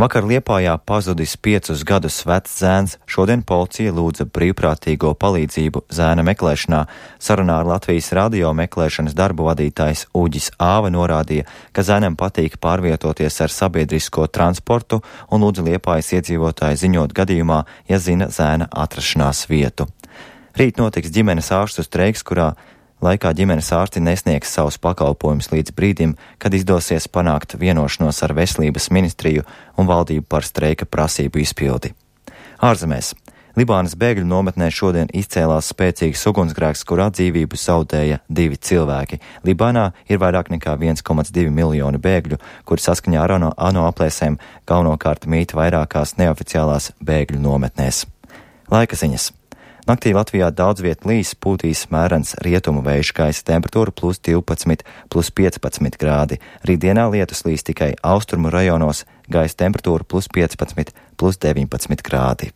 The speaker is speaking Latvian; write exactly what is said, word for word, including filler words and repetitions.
Vakar Liepājā pazudis piecus gadus vecs zēns. Šodien policija lūdza brīvprātīgo palīdzību zēna meklēšanā. Sarunā ar Latvijas radio meklēšanas darbu vadītājs Uģis Āva norādīja, ka zēnam patīk pārvietoties ar sabiedrisko transportu un lūdza Liepājas iedzīvotāji ziņot gadījumā, ja zina zēna atrašanās vietu. Rīt notiks ģimenes ārstu streiks, kurā laikā ģimenes ārsti nesniegs savus pakalpojumus līdz brīdim, kad izdosies panākt vienošanos ar Veselības ministriju un valdību par streika prasību izpildi. Ārzemēs. Libānas bēgļu nometnē šodien izcēlās spēcīgs ugunsgrēks, kurā dzīvību zaudēja divi cilvēki. Libānā ir vairāk nekā viens komats divi miljoni bēgļu, kuri saskaņā ar ANO, ANO aplēsēm galvenokārt mīt vairākās neoficiālās bēgļu nometnēs. Laika ziņas. Naktī Latvijā daudz viet līs, pūtīs mērens rietumu vējš, gaisa temperatūra plus divpadsmit, plus piecpadsmit grādi. Rītdienā lietus līs tikai austrumu rajonos, gaisa temperatūra plus piecpadsmit, plus deviņpadsmit grādi.